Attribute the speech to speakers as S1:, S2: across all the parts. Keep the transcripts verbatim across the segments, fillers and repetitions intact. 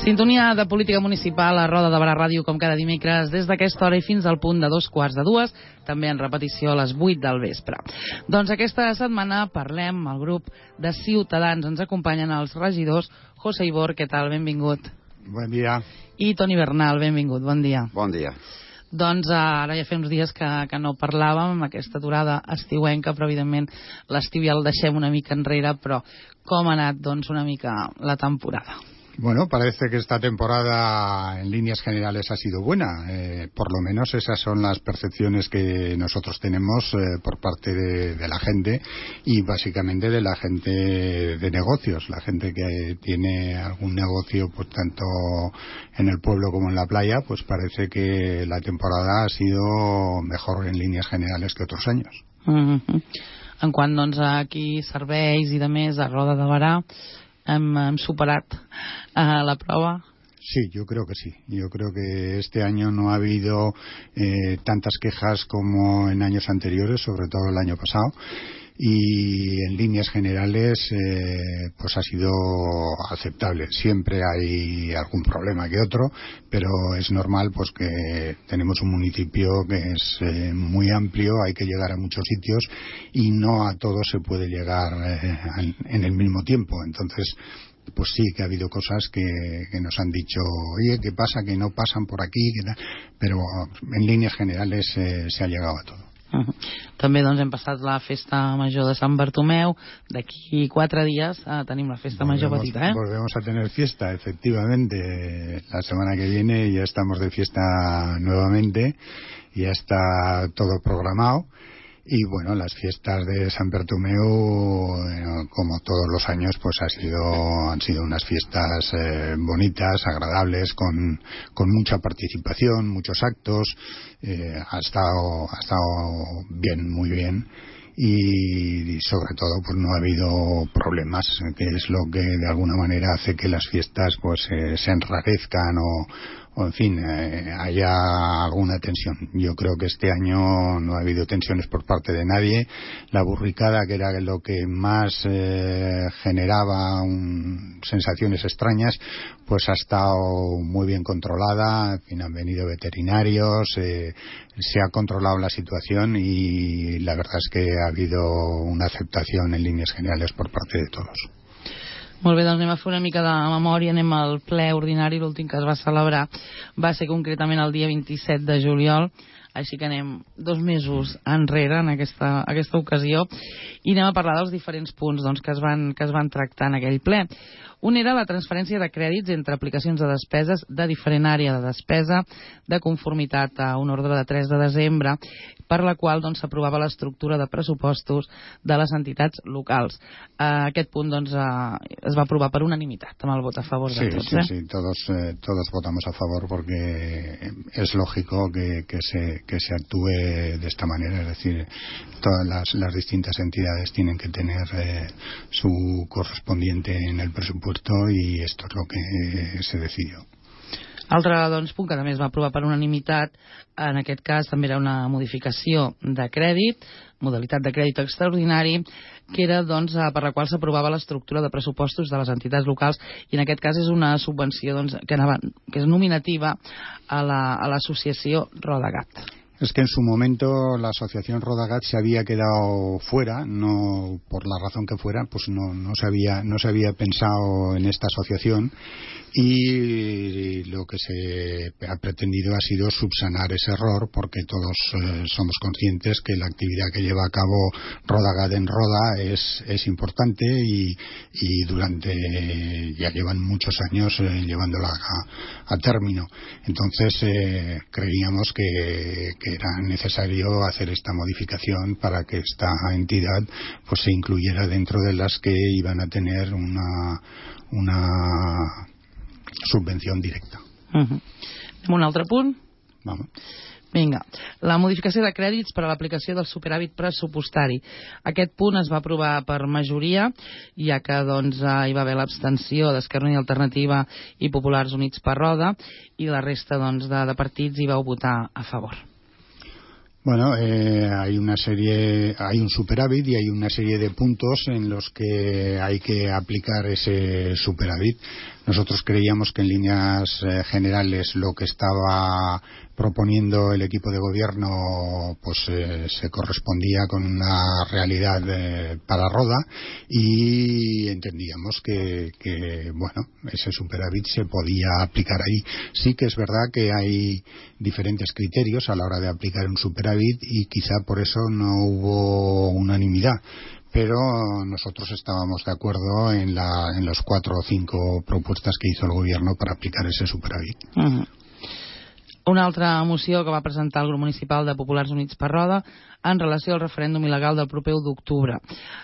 S1: Sintonia de política municipal a Roda de Barà Ràdio, com cada dimecres, des d'aquesta hora i fins al punt de dos quarts de dues, també en repetició a les vuit del vespre. Doncs aquesta setmana parlem al grup de Ciutadans. Ens acompanyen els regidors José Ibor, què tal? Benvingut.
S2: Bon dia.
S1: I Toni Bernal, benvingut, bon dia.
S3: Bon dia.
S1: Doncs ara ja fa uns dies que, que no parlàvem amb aquesta aturada estiuenca, però evidentment l'estiu ja el deixem una mica enrere, però com ha anat doncs una mica la temporada?
S2: Bueno, parece que esta temporada en líneas generales ha sido buena. Eh, por lo menos esas son las percepciones que nosotros tenemos eh, por parte de, de la gente y básicamente de la gente de negocios. La gente que tiene algún negocio, pues tanto en el pueblo como en la playa, pues parece que la temporada ha sido mejor en líneas generales que otros años.
S1: Mm-hmm. En quant doncs aquí serveis i de més a Roda de Barà, ¿Hem, hem superat uh, la prueba?
S2: Sí, yo creo que sí. Yo creo que este año no ha habido eh, tantas quejas como en años anteriores, sobre todo el año pasado. Y en líneas generales eh, pues ha sido aceptable. Siempre hay algún problema que otro, pero es normal pues que tenemos un municipio que es eh, muy amplio, hay que llegar a muchos sitios y no a todos se puede llegar eh, en el mismo tiempo. Entonces pues sí que ha habido cosas que, que nos han dicho, oye, ¿qué pasa? Que no pasan por aquí, que pero en líneas generales eh, se ha llegado a todo.
S1: Uh-huh. També doncs hem passat la festa major de Sant Bartomeu. D'aquí quatre dies eh, tenim la festa
S2: volvemos,
S1: major petita, ¿eh?
S2: Volvemos a tener fiesta, efectivamente. La semana que viene ya estamos de fiesta nuevamente. Ya está todo programado. Y bueno, las fiestas de San Bartomeu, eh, como todos los años, pues ha sido, han sido unas fiestas eh, bonitas, agradables, con, con mucha participación, muchos actos. Eh, ha estado, ha estado bien, muy bien. Y, y sobre todo pues no ha habido problemas, que es lo que de alguna manera hace que las fiestas pues eh, se enrarezcan o, o en fin eh, haya alguna tensión. Yo creo que este año no ha habido tensiones por parte de nadie. La burricada, que era lo que más eh, generaba un, sensaciones extrañas, pues ha estado muy bien controlada. En fin, han venido veterinarios, eh, se ha controlado la situación y la verdad es que ha habido una aceptación en líneas generales por parte de todos.
S1: Molt bé, doncs anem a fer una mica de memòria, anem al ple ordinari, l'últim que es va celebrar va ser concretament el dia vint-i-set de juliol, així que anem dos mesos enrere en aquesta, aquesta ocasió i anem a parlar dels diferents punts doncs, que, es van, que es van tractar en aquell ple. Un era la transferència de crèdits entre aplicacions de despeses de diferent àrea de despesa de conformitat a un ordre de tres de desembre, per la qual doncs, s'aprovava l'estructura de pressupostos de les entitats locals. Uh, aquest punt doncs, uh, es va aprovar per unanimitat, amb el vot a favor de
S2: sí,
S1: tots.
S2: Sí,
S1: eh?
S2: sí, todos, eh, todos votamos a favor porque es lógico que, que, se, que se actúe de esta manera, es decir, todas las, las distintas entidades tienen que tener eh, su correspondiente en el presupuesto i esto es lo que se decidió.
S1: Altre doncs, punt que també es va aprovar per unanimitat, en aquest cas també era una modificació de crèdit, modalitat de crèdit extraordinari, que era doncs, per la qual s'aprovava l'estructura de pressupostos de les entitats locals i en aquest cas és una subvenció doncs, que, anava, que és nominativa a l'associació la, Rodagat.
S2: Es que en su momento la asociación Rodagat se había quedado fuera, no por la razón que fuera, pues no, no, se había, no se había pensado en esta asociación y lo que se ha pretendido ha sido subsanar ese error porque todos eh, somos conscientes que la actividad que lleva a cabo Rodagat en Roda es, es importante y, y durante ya llevan muchos años eh, llevándola a, a término. Entonces eh, creíamos que, que era necesario hacer esta modificación para que esta entidad pues se incluyera dentro de las que iban a tener una, una subvenció directa.
S1: Uh-huh. Un altre punt?
S2: Vamos.
S1: Vinga, la modificació de crèdits per a l'aplicació del superàvit pressupostari. Aquest punt es va aprovar per majoria, ja que doncs, hi va haver l'abstenció d'Esquerra Unida i Alternativa i Populars Units per Roda, i la resta doncs, de, de partits hi vau votar a favor.
S2: Bueno, eh, hay una serie, hay un superávit y hay una serie de puntos en los que hay que aplicar ese superávit. Nosotros creíamos que en líneas eh, generales lo que estaba proponiendo el equipo de gobierno pues eh, se correspondía con una realidad eh, para Roda, y entendíamos que, que bueno, ese superávit se podía aplicar ahí. Sí que es verdad que hay diferentes criterios a la hora de aplicar un superávit y quizá por eso no hubo unanimidad, pero nosotros estábamos de acuerdo en, la, en las cuatro o cinco propuestas que hizo el gobierno para aplicar ese superávit.
S1: Uh-huh. Una altra moció que va presentar el grup municipal de Populars Units per Roda en relació al referèndum il·legal del proper u d'octubre.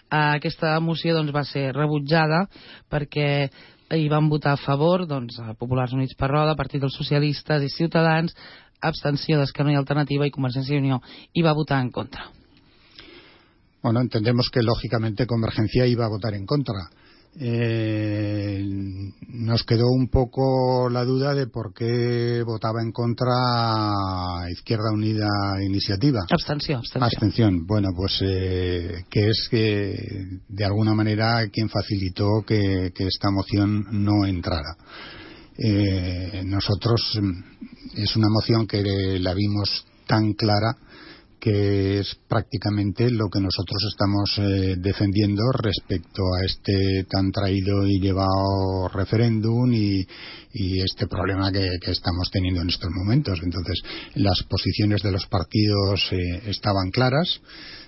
S1: Aquesta moció doncs, va ser rebutjada perquè hi van votar a favor doncs, a Populars Units per Roda, Partit dels Socialistes i Ciutadans, abstenció d'Esquerra i Alternativa, i Convergència i Unió hi va votar en contra.
S2: Bueno, entendemos que lógicamente Convergencia iba a votar en contra. Eh, nos quedó un poco la duda de por qué votaba en contra Izquierda Unida Iniciativa.
S1: Abstención. Abstención.
S2: Abstención. Bueno, pues eh, que es que de alguna manera quien facilitó que, que esta moción no entrara. Eh, nosotros es una moción que la vimos tan clara que es prácticamente lo que nosotros estamos eh, defendiendo respecto a este tan traído y llevado referéndum y, y este problema que, que estamos teniendo en estos momentos. Entonces, las posiciones de los partidos eh, estaban claras,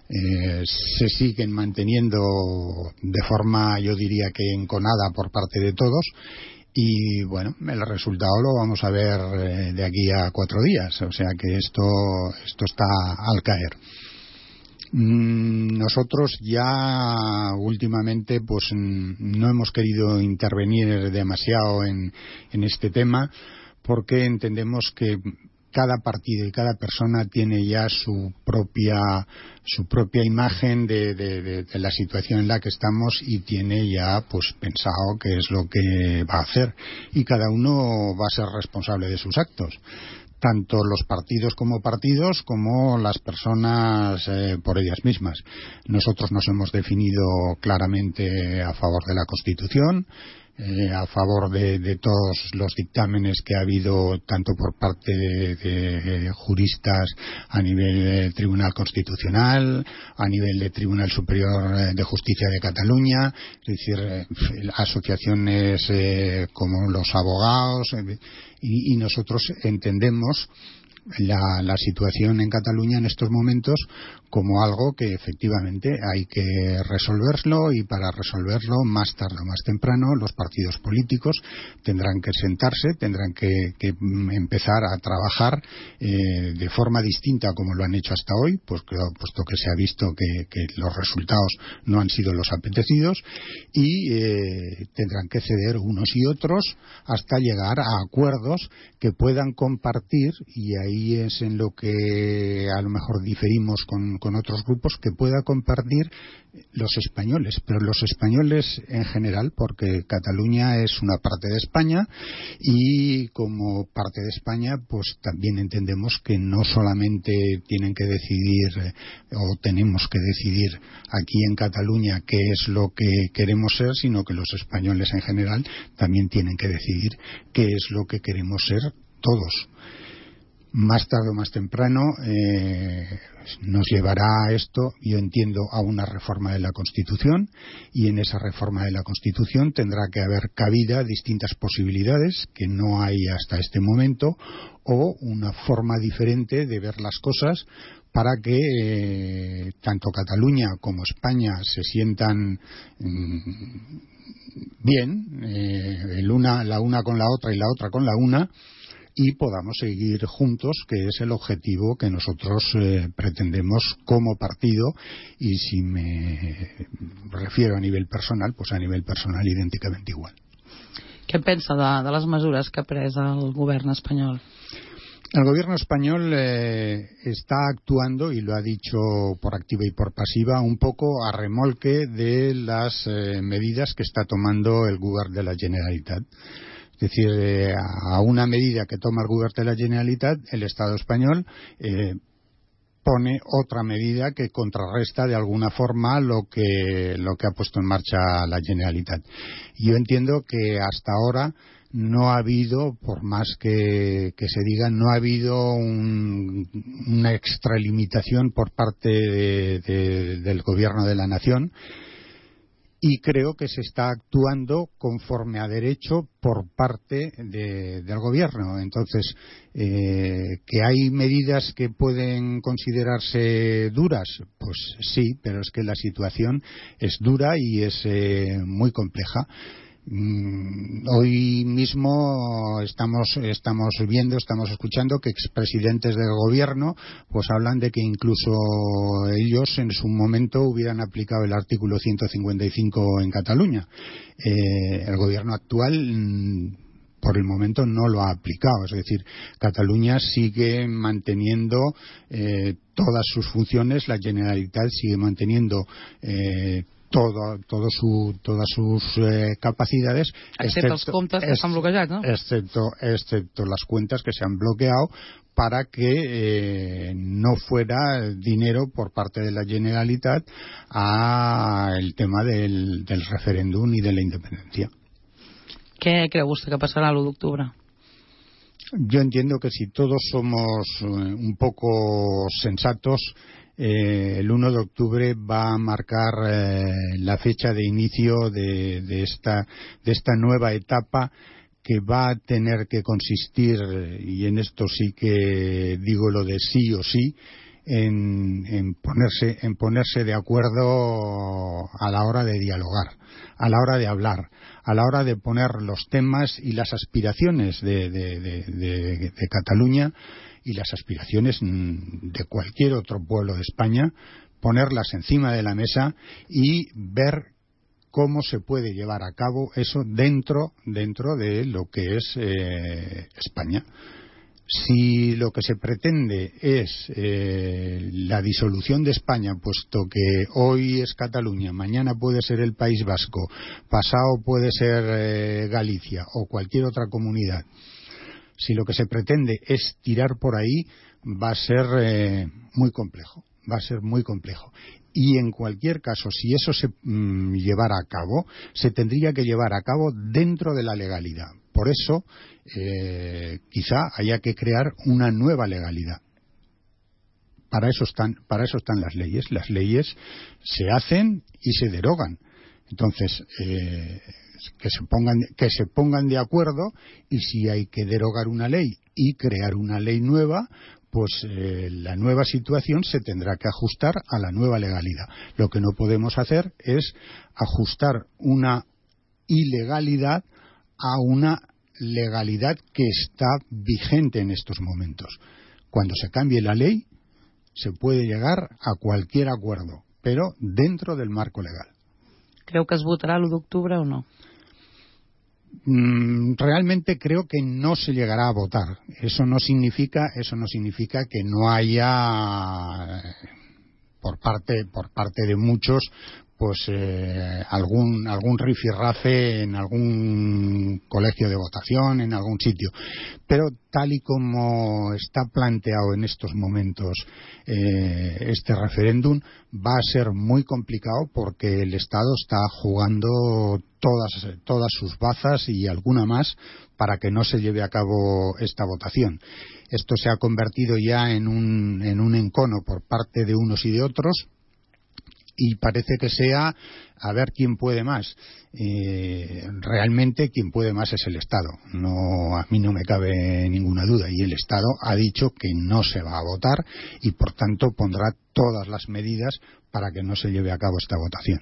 S2: eh, se siguen manteniendo de forma, yo diría que enconada por parte de todos. Y bueno, el resultado lo vamos a ver eh, de aquí a cuatro días, o sea que esto, esto está al caer. Mm, nosotros ya últimamente pues no hemos querido intervenir demasiado en, en este tema, porque entendemos que cada partido y cada persona tiene ya su propia su propia imagen de, de, de, de la situación en la que estamos, y tiene ya pues pensado qué es lo que va a hacer, y cada uno va a ser responsable de sus actos, tanto los partidos como partidos como las personas eh, por ellas mismas. Nosotros nos hemos definido claramente a favor de la Constitución, Eh, a favor de, de todos los dictámenes que ha habido, tanto por parte de, de juristas a nivel de Tribunal Constitucional, a nivel de Tribunal Superior de Justicia de Cataluña, es decir, eh, asociaciones eh, como los abogados, eh, y, y nosotros entendemos La, la situación en Cataluña en estos momentos como algo que efectivamente hay que resolverlo, y para resolverlo más tarde o más temprano los partidos políticos tendrán que sentarse, tendrán que, que empezar a trabajar eh, de forma distinta como lo han hecho hasta hoy, pues puesto que se ha visto que, que los resultados no han sido los apetecidos, y eh, tendrán que ceder unos y otros hasta llegar a acuerdos que puedan compartir, y ahí es en lo que a lo mejor diferimos con, con otros grupos, que pueda compartir los españoles, pero los españoles en general, porque Cataluña es una parte de España, y como parte de España pues también entendemos que no solamente tienen que decidir eh, o tenemos que decidir aquí en Cataluña qué es lo que queremos ser, sino que los españoles en general también tienen que decidir qué es lo que queremos ser todos. Más tarde o más temprano eh, nos llevará esto, yo entiendo, a una reforma de la Constitución, y en esa reforma de la Constitución tendrá que haber cabida distintas posibilidades que no hay hasta este momento, o una forma diferente de ver las cosas para que eh, tanto Cataluña como España se sientan mmm, bien, eh, el una, la una con la otra y la otra con la una, y podamos seguir juntos, que es el objetivo que nosotros eh, pretendemos como partido. Y si me refiero a nivel personal, pues a nivel personal idènticament igual.
S1: Què pensa de, de les mesures que ha pres el govern espanyol?
S2: El gobierno español eh, está actuando, y lo ha dicho por activa y por pasiva, un poco a remolque de las eh, medidas que está tomando el govern de la Generalitat. Es decir, eh, a una medida que toma el Govern de la Generalitat, el Estado español, eh, pone otra medida que contrarresta de alguna forma lo que, lo que ha puesto en marcha la Generalitat. Yo entiendo que hasta ahora no ha habido, por más que, que se diga, no ha habido un, una extralimitación por parte de, de, del Gobierno de la Nación, y creo que se está actuando conforme a derecho por parte de, del Gobierno. Entonces, eh, ¿que hay medidas que pueden considerarse duras? Pues sí, pero es que la situación es dura y es eh, muy compleja. Hoy mismo estamos estamos viendo, estamos escuchando que expresidentes del gobierno pues hablan de que incluso ellos en su momento hubieran aplicado el artículo ciento cincuenta y cinco en Cataluña. Eh, el gobierno actual por el momento no lo ha aplicado, es decir, Cataluña sigue manteniendo eh, todas sus funciones, la Generalitat sigue manteniendo eh, Todo, todo su, todas sus eh, capacidades,
S1: excepto los comptes que s'han bloquejat, ¿no?
S2: Excepto, excepto las cuentas que se han bloqueado para que eh, no fuera dinero por parte de la Generalitat a el tema del, del referéndum y de la independencia.
S1: ¿Qué cree usted que pasará el uno de octubre?
S2: Yo entiendo que si todos somos eh, un poco sensatos, Eh, el uno de octubre va a marcar eh, la fecha de inicio de, de, esta, de esta nueva etapa que va a tener que consistir, y en esto sí que digo lo de sí o sí, en, en, ponerse, en ponerse de acuerdo a la hora de dialogar, a la hora de hablar, a la hora de poner los temas y las aspiraciones de, de, de, de, de Cataluña y las aspiraciones de cualquier otro pueblo de España, ponerlas encima de la mesa y ver cómo se puede llevar a cabo eso dentro, dentro de lo que es eh, España. Si lo que se pretende es eh, la disolución de España, puesto que hoy es Cataluña, mañana puede ser el País Vasco, pasado puede ser eh, Galicia o cualquier otra comunidad, si lo que se pretende es tirar por ahí, va a ser eh, muy complejo, va a ser muy complejo. Y en cualquier caso, si eso se mmm, llevara a cabo, se tendría que llevar a cabo dentro de la legalidad. Por eso, eh, quizá haya que crear una nueva legalidad. Para eso están, para eso están las leyes. Las leyes se hacen y se derogan. Entonces, eh, que se pongan que se pongan de acuerdo, y si hay que derogar una ley y crear una ley nueva, pues eh, la nueva situación se tendrá que ajustar a la nueva legalidad. Lo que no podemos hacer es ajustar una ilegalidad a una legalidad que está vigente en estos momentos. Cuando se cambie la ley se puede llegar a cualquier acuerdo, pero dentro del marco legal.
S1: ¿Creu que es votará el uno de octubre o no?
S2: Mm, realmente creo que no se llegará a votar. Eso no significa, eso no significa que no haya por parte, por parte de muchos, pues eh, algún algún rifirrafe en algún colegio de votación, en algún sitio. Pero tal y como está planteado en estos momentos eh, este referéndum, va a ser muy complicado porque el Estado está jugando todas todas sus bazas y alguna más para que no se lleve a cabo esta votación. Esto se ha convertido ya en un en un encono por parte de unos y de otros, y parece que sea a ver quién puede más. Eh, realmente quien puede más es el Estado. No, a mí no me cabe ninguna duda, y el Estado ha dicho que no se va a votar y por tanto pondrá todas las medidas para que no se lleve a cabo esta votación.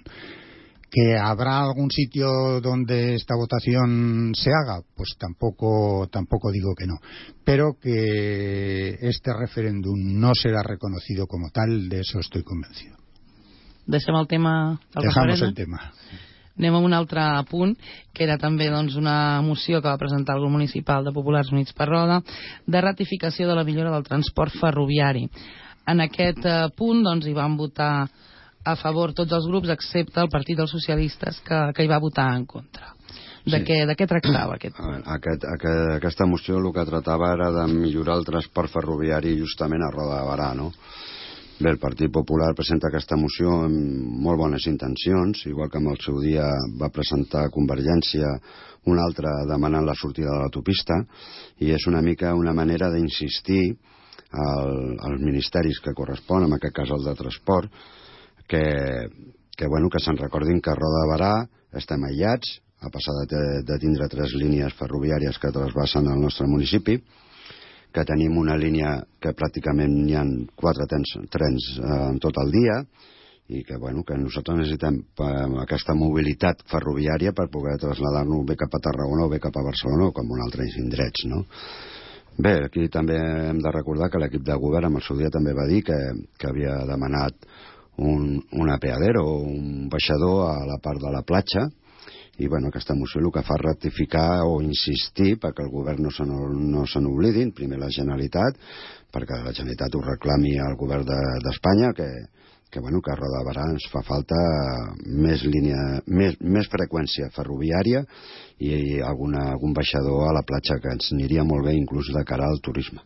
S2: ¿Que habrá algún sitio donde esta votación se haga? Pues tampoco, tampoco digo que no. Pero que este referéndum no será reconocido como tal, de eso estoy convencido.
S1: Deixem el tema del
S2: Dejamos
S1: referèndum.
S2: el tema.
S1: Anem a un altre punt, que era també doncs, una moció que va presentar el grup municipal de Populars Units per Roda, de ratificació de la millora del transport ferroviari. En aquest eh, punt doncs, hi van votar a favor tots els grups, excepte el Partit dels Socialistes, que, que hi va votar en contra. De, sí. què, de què tractava aquest punt?
S3: Aquest, aquest, aquesta moció el que tratava era de millorar el transport ferroviari justament a Roda de Barà, no? Bé, el Partit Popular presenta aquesta moció amb molt bones intencions, igual que en el seu dia va presentar Convergència una altra demanant la sortida de l'autopista, i és una mica una manera d'insistir al, als ministeris que corresponen, en aquest cas el de transport, que, que, bueno, que se'n recordin que a Roda de Berà estem aïllats, a passar de, de tindre tres línies ferroviàries que trasbassen el nostre municipi, que tenim una línia que pràcticament hi ha quatre trens, trens eh, en tot el dia, i que, bueno, que nosaltres necessitem eh, aquesta mobilitat ferroviària per poder traslladar-nos bé cap a Tarragona o bé cap a Barcelona o com en altres indrets, no? Bé, aquí també hem de recordar que l'equip de govern en el seu dia també va dir que, que havia demanat un, un apeadero o un baixador a la part de la platja, i bueno, aquesta moció el que fa és ratificar o insistir perquè el govern no se, no se n'oblidin, primer la Generalitat, perquè la Generalitat ho reclami al govern d'Espanya, de, que, que, bueno, que a Roda de Berà ens fa falta més, línia, més, més freqüència ferroviària i alguna, algun baixador a la platja, que ens aniria molt bé inclús de cara al turisme.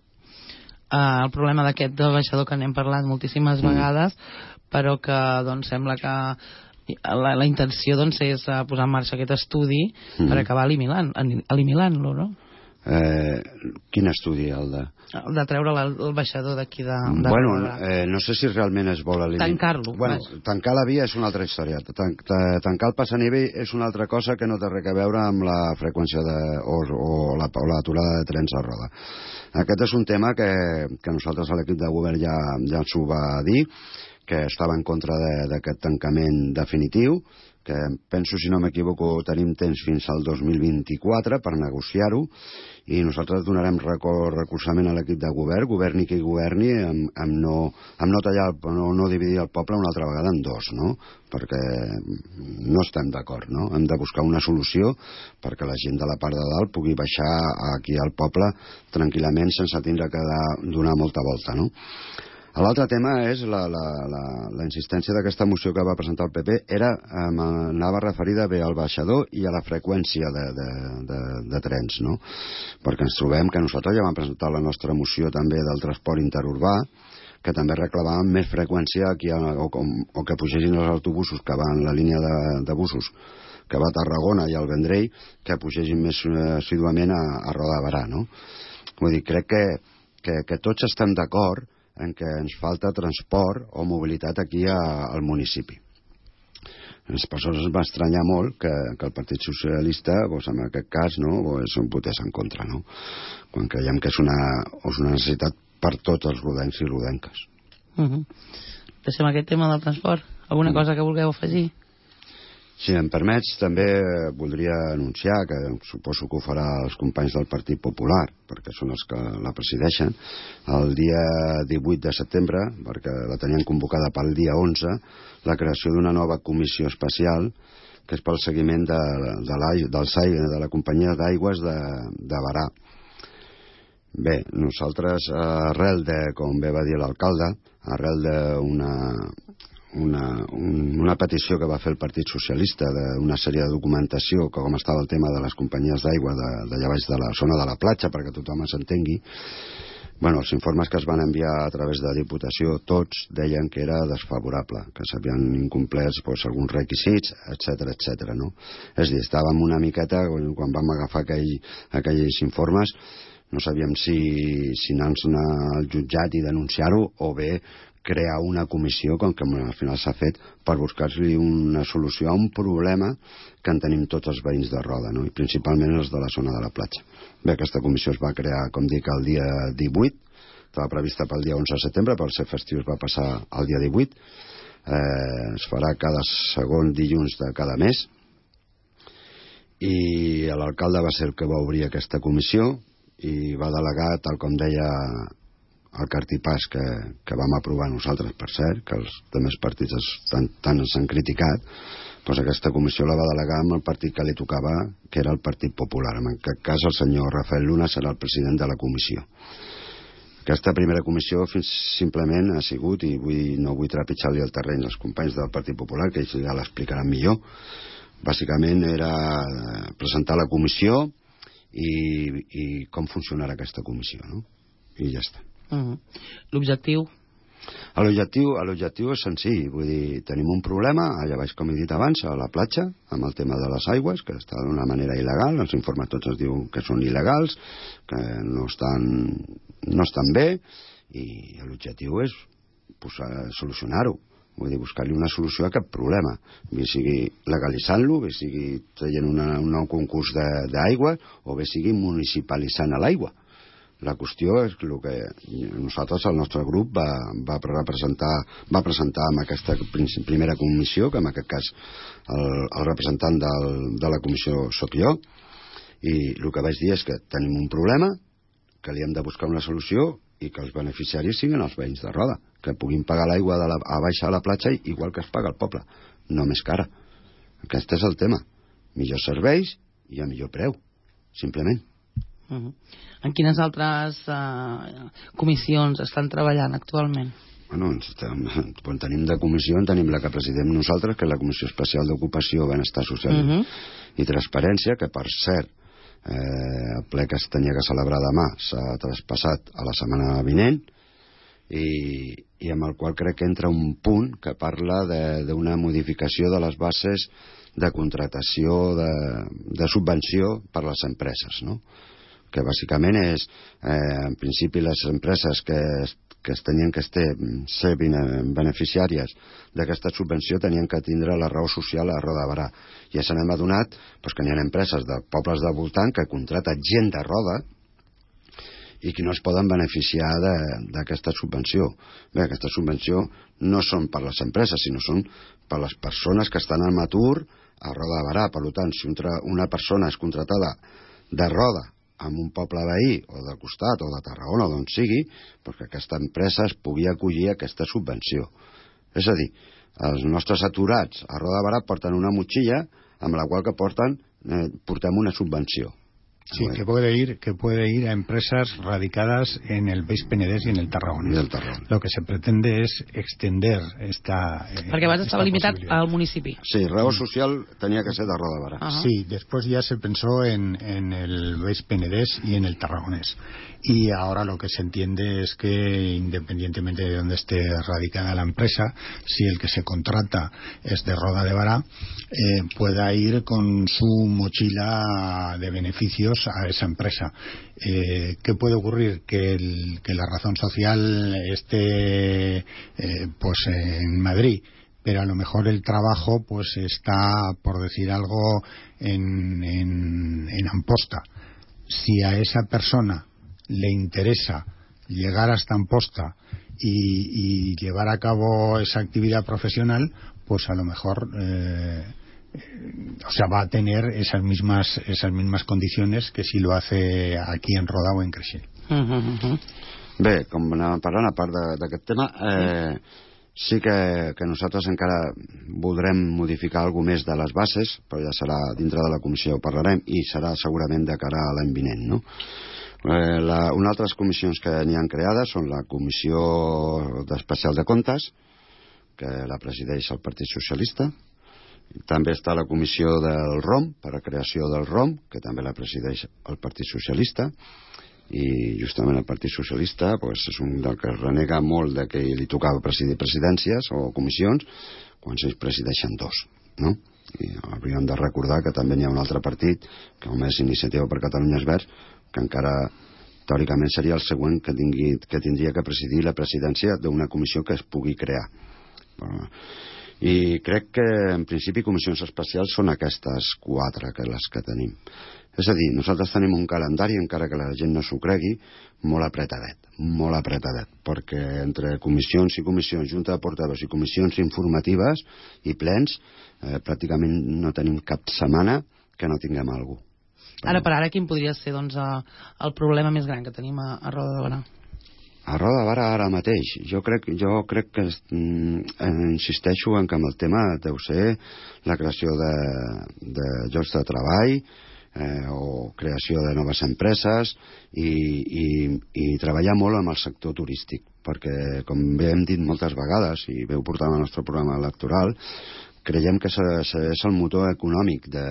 S1: Uh, el problema d'aquest baixador que n'hem parlat moltíssimes mm. vegades, però que doncs sembla que La, la intenció doncs és uh, posar en marxa aquest estudi mm. per acabar eliminant, eliminant-lo, no?
S3: Eh, quin estudi, el de...?
S1: El de treure la, el baixador d'aquí de... de
S3: bueno, eh, no sé si realment es vol eliminar.
S1: Tancar-lo.
S3: Bueno, tancar la via és una altra història. Tan, tancar el passanivell és una altra cosa que no té res a veure amb la freqüència de, o, o la, o l'aturada de trens a roda. Aquest és un tema que, que nosaltres a l'equip de govern ja, ja ens ho va dir, que estava en contra d'aquest tancament definitiu, que penso, si no m'equivoco, tenim temps fins al dos mil vint-i-quatre per negociar-ho, i nosaltres donarem recolzament a l'equip de govern, governi qui governi, amb, amb, no, amb no tallar, no, no dividir el poble una altra vegada en dos, no? Perquè no estem d'acord, no? Hem de buscar una solució perquè la gent de la part de dalt pugui baixar aquí al poble tranquil·lament sense tindre que donar molta volta, no? L'altre tema és la, la, la, la insistència d'aquesta moció que va presentar el P P, era, eh, anava referida bé al baixador i a la freqüència de, de, de, de trens, no? Perquè ens trobem que nosaltres ja vam presentar la nostra moció també del transport interurbà, que també reclamàvem més freqüència aquí, o, o, o que pugessin els autobusos que van la línia de, de busos que va a Tarragona i al Vendrell, que pugessin més assiduament a, a Roda de Berà, no? Vull dir, crec que, que, que tots estem d'acord en què ens falta transport o mobilitat aquí a, al municipi. Les persones va estranyar molt que, que el Partit Socialista, doncs en aquest cas, no, doncs un votés en contra, no? Quan creiem que és una, és una necessitat per tots els rodencs i rodenques.
S1: Uh-huh. Deixem aquest tema del transport. Alguna uh-huh. cosa que vulgueu afegir?
S3: Si em permets, també voldria anunciar, que suposo que ho farà els companys del Partit Popular, perquè són els que la presideixen, el dia divuit de setembre, perquè la tenien convocada pel dia onze, la creació d'una nova comissió especial, que és pel seguiment de, de, la, del S A I, de la companyia d'aigües de, de Berà. Bé, nosaltres, arrel de, com bé va dir l'alcalde, arrel d'una... Una, un, una petició que va fer el Partit Socialista d'una sèrie de documentació, que com estava el tema de les companyies d'aigua d'allà baix de la zona de la platja, perquè tothom s'entengui. Bueno, els informes que es van enviar a través de Diputació, tots deien que era desfavorable, que s'havien incomplert doncs, alguns requisits, etcètera, etcètera, no? És a dir, estàvem una miqueta, quan vam agafar aquell, aquells informes, no sabíem si, si anar-nos al jutjat i denunciar-ho, o bé crear una comissió, com que al final s'ha fet, per buscar-li una solució a un problema que en tenim tots els veïns de Roda, no? I principalment els de la zona de la platja. Bé, aquesta comissió es va crear, com dic, el dia divuit, estava prevista pel dia onze de setembre, per ser festiu es va passar al dia divuit, eh, es farà cada segon dilluns de cada mes, i l'alcalde va ser el que va obrir aquesta comissió i va delegar, tal com deia el cartipàs que, que vam aprovar nosaltres, per cert, que els altres partits es, tant, tant ens han criticat, doncs aquesta comissió la va delegar amb el partit que li tocava, que era el Partit Popular. En aquest cas el senyor Rafael Luna serà el president de la comissió. Aquesta primera comissió fins simplement ha sigut, i vull, no vull trepitjar-li el terreny als companys del Partit Popular, que ja l'explicaran millor, bàsicament era presentar la comissió i, i com funcionarà aquesta comissió, no? I ja està.
S1: Uh-huh. L'objectiu?
S3: L'objectiu l'objectiu és senzill, vull dir, tenim un problema, allà baix, com he dit abans, a la platja, amb el tema de les aigües, que està d'una manera il·legal, els informes tots ens diuen que són il·legals, que no estan, no estan bé, i l'objectiu és pues, solucionar-ho. Vull dir, buscar-li una solució a aquest problema, bé sigui legalitzant-lo, bé sigui traient una, un nou concurs d'aigua, o bé sigui municipalitzant l'aigua. La qüestió és el que nosaltres, el nostre grup, va, va, representar, va presentar en aquesta primera comissió, que en aquest cas el, el representant del, de la comissió sóc jo, i el que vaig dir és que tenim un problema, que li hem de buscar una solució i que els beneficiaris siguin els veïns de Roda, que puguin pagar l'aigua a baixar a la platja igual que es paga al poble, no més cara. Aquest és el tema. Millors serveis i a millor preu, simplement.
S1: Uh-huh. En quines altres uh, comissions estan treballant actualment?
S3: Bueno, quan tenim de comissió en tenim la que presidem nosaltres, que és la Comissió Especial d'Ocupació, Benestar Social uh-huh. i Transparència, que per cert eh, el ple que es tenia que celebrar demà s'ha traspassat a la setmana vinent, i, i amb el qual crec que entra un punt que parla d'una modificació de les bases de contratació de, de subvenció per a les empreses, no? Que bàsicament és, eh, en principi, les empreses que, que es tenien que estar, ser beneficiàries d'aquesta subvenció tenien que tindre la raó social a Roda de Barà. I ja se n'hem adonat pues, que n'hi ha empreses de pobles del voltant que contraten gent de Roda i que no es poden beneficiar d'aquesta subvenció. Bé, aquesta subvenció no són per les empreses, sinó són per les persones que estan en atur a Roda de Barà. Per tant, si una persona és contratada de Roda amb un poble veí, o de costat, o de Tarragona, o d'on sigui, perquè aquesta empresa es pugui acollir a aquesta subvenció. És a dir, els nostres aturats a Roda de Barà porten una motxilla amb la qual que porten, eh, portem una subvenció.
S2: Sí, que puede ir que puede ir a empresas radicadas en el Baix Penedès y en el Tarragonés.
S3: Y el Tarragonés.
S2: Lo que se pretende es extender esta eh,
S1: Perquè abans estava limitat al municipi.
S3: Sí, raó social tenia que ser de Roda de Barà.
S2: Uh-huh. Sí, después ya se pensó en, en el Baix Penedès y en el Tarragonés. Y ahora lo que se entiende es que independientemente de donde esté radicada la empresa, si el que se contrata es de Roda de Barà, eh, pueda ir con su mochila de beneficios a esa empresa. Eh, ¿Qué puede ocurrir? Que, el, que la razón social esté eh, pues en Madrid, pero a lo mejor el trabajo pues está, por decir algo, en, en, en Amposta. Si a esa persona le interesa llegar hasta Amposta y, y llevar a cabo esa actividad profesional, pues a lo mejor eh, o sea, va a tener esas mismas esas mismas condiciones que si lo hace aquí en Roda o en Creixell.
S3: Uh-huh. Bé, com anàvem parlant, a part d'aquest tema, eh, sí que, que nosaltres encara voldrem modificar alguna més de les bases, però ja serà dintre de la comissió ho parlarem, i serà segurament de cara a l'any vinent, no? Eh, la, unes altres comissions que n'hi han creades són la Comissió Especial de Comptes, que la presideix el Partit Socialista. També està la Comissió del R O M, per a creació del R O M, que també la presideix el Partit Socialista, i justament el Partit Socialista pues, és un del que renega molt de que li tocava presidir presidències o comissions, quan s'ells presideixen dos, no? I hauríem de recordar que també n'hi ha un altre partit, com és Iniciativa per Catalunya Verds, que encara teòricament seria el següent que, tingui, que tindria que presidir la presidència d'una comissió que es pugui crear. I crec que en principi comissions especials són aquestes quatre que les que tenim. És a dir, nosaltres tenim un calendari, encara que la gent no s'ho cregui, molt apretadet, molt apretadet, perquè entre comissions i comissions, junta de portaveus i comissions informatives i plens, eh, pràcticament no tenim cap setmana que no tinguem alguna cosa.
S1: Ara per ara, quin podria ser doncs, el problema més gran que tenim a, a Roda de Barà?
S3: A Roda de Barà ara mateix, jo crec, jo crec que mm, insisteixo en que amb el tema deu ser la creació de, de llocs de treball, eh, o creació de noves empreses i, i, i treballar molt amb el sector turístic, perquè com bé hem dit moltes vegades i veu portar el nostre programa electoral, creiem que és el motor econòmic de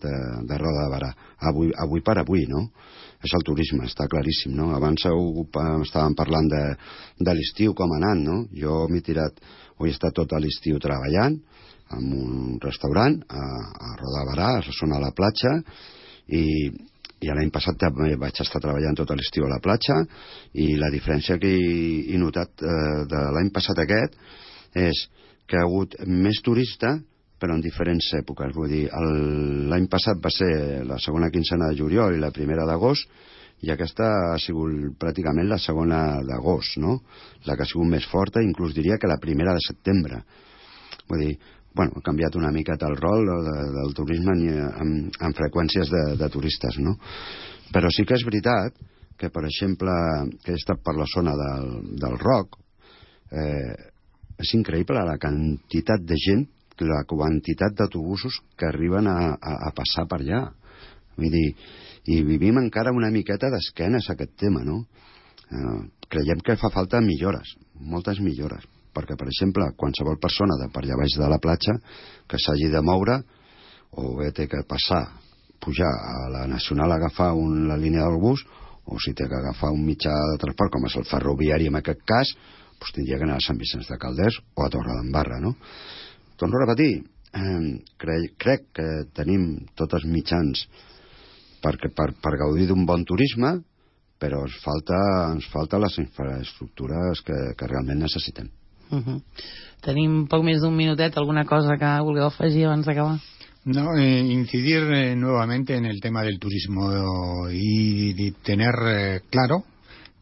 S3: de, de Roda de Barà. Avui, avui per avui, no? És el turisme, està claríssim, no? Abans estàvem parlant de, de l'estiu, com ha anat, no? Jo m'he tirat, ho he estat tot l'estiu treballant en un restaurant a, a Roda de Barà, a la zona de la platja, i, i l'any passat també vaig estar treballant tot l'estiu a la platja, i la diferència que he, he notat eh, de l'any passat aquest és que ha hagut més turista, però en diferents èpoques. Vull dir, l'any passat va ser la segona quinzena de juliol i la primera d'agost, i aquesta ha sigut pràcticament la segona d'agost, no? La que ha sigut més forta, inclús diria que la primera de setembre. Vull dir, bueno, ha canviat una miqueta el rol de, del turisme amb, amb freqüències de, de turistes, no? Però sí que és veritat que, per exemple, que he estat per la zona del, del Roc, eh, és increïble la quantitat de gent, la quantitat d'autobusos que arriben a, a, a passar per allà. Vull dir, i vivim encara una miqueta d'esquenes a aquest tema, no? Eh, creiem que fa falta millores, moltes millores, perquè, per exemple, qualsevol persona de per allà baix de la platja que s'hagi de moure, o bé té que passar, pujar a la Nacional a agafar un, la línia del bus, o si té que agafar un mitjà de transport, com és el ferroviari en aquest cas, doncs tindria que anar a Sant Vicenç de Calders o a Torredembarra, no? Torno a repetir, eh, crec, crec que tenim tots els mitjans per, per, per gaudir d'un bon turisme, però ens falta, ens falta les infraestructures que, que realment necessitem.
S1: Uh-huh. Tenim poc més d'un minutet, alguna cosa que vulgueu afegir abans d'acabar?
S2: No, eh, incidir eh, nuevamente en el tema del turismo y, y tener eh, claro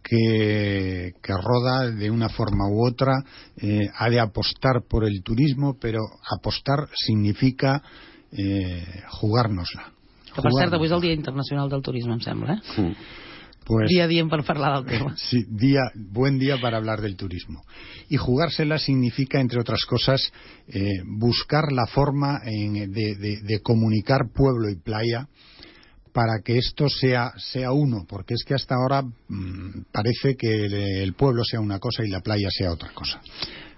S2: Que, que Roda, de una forma u otra, eh, ha de apostar por el turismo, pero apostar significa eh, jugárnosla.
S1: Que per cert, avui és el Dia Internacional del Turisme, em sembla, eh?
S2: Mm. Pues,
S1: dia diem per parlar del tema.
S2: Sí, día, buen día para hablar del turismo. Y jugársela significa, entre otras cosas, eh, buscar la forma en, de, de, de comunicar pueblo y playa, para que esto sea, sea uno, porque es que hasta ahora mmm, parece que el, el pueblo sea una cosa y la playa sea otra cosa.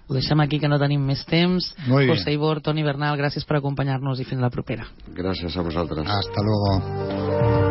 S1: Ho deixem aquí, que no tenim més temps.
S2: Muy bien.
S1: José Ibor, Toni Bernal, gràcies per acompanyar-nos i fins la propera.
S3: Gràcies a vosaltres.
S2: Hasta luego.